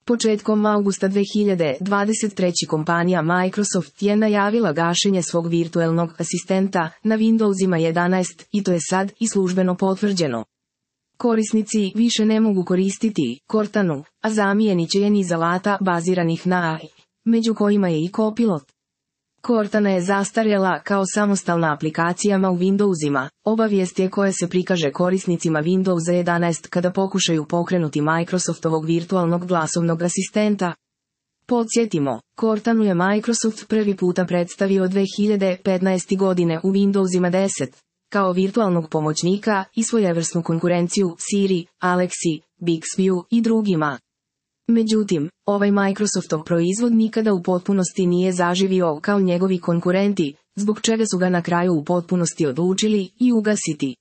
Početkom avgusta 2023. kompanija Microsoft je najavila gašenje svog virtuelnog asistenta na Windowsima 11 i to je sad i službeno potvrđeno. Korisnici više ne mogu koristiti Cortanu, a zamijenit će je niz alata baziranih na AI, među kojima je i Copilot. Cortana je zastarjela kao samostalna aplikacijama u Windowsima, obavijest je koja se prikaže korisnicima Windowsa 11 kada pokušaju pokrenuti Microsoftovog virtualnog glasovnog asistenta. Podsjetimo, Cortanu je Microsoft prvi puta predstavio 2015. godine u Windowsima 10, kao virtualnog pomoćnika i svojevrsnu konkurenciju Siri, Alexi, Bixbyu i drugima. Međutim, ovaj Microsoftov proizvod nikada u potpunosti nije zaživio kao njegovi konkurenti, zbog čega su ga na kraju u potpunosti odlučili i ugasiti.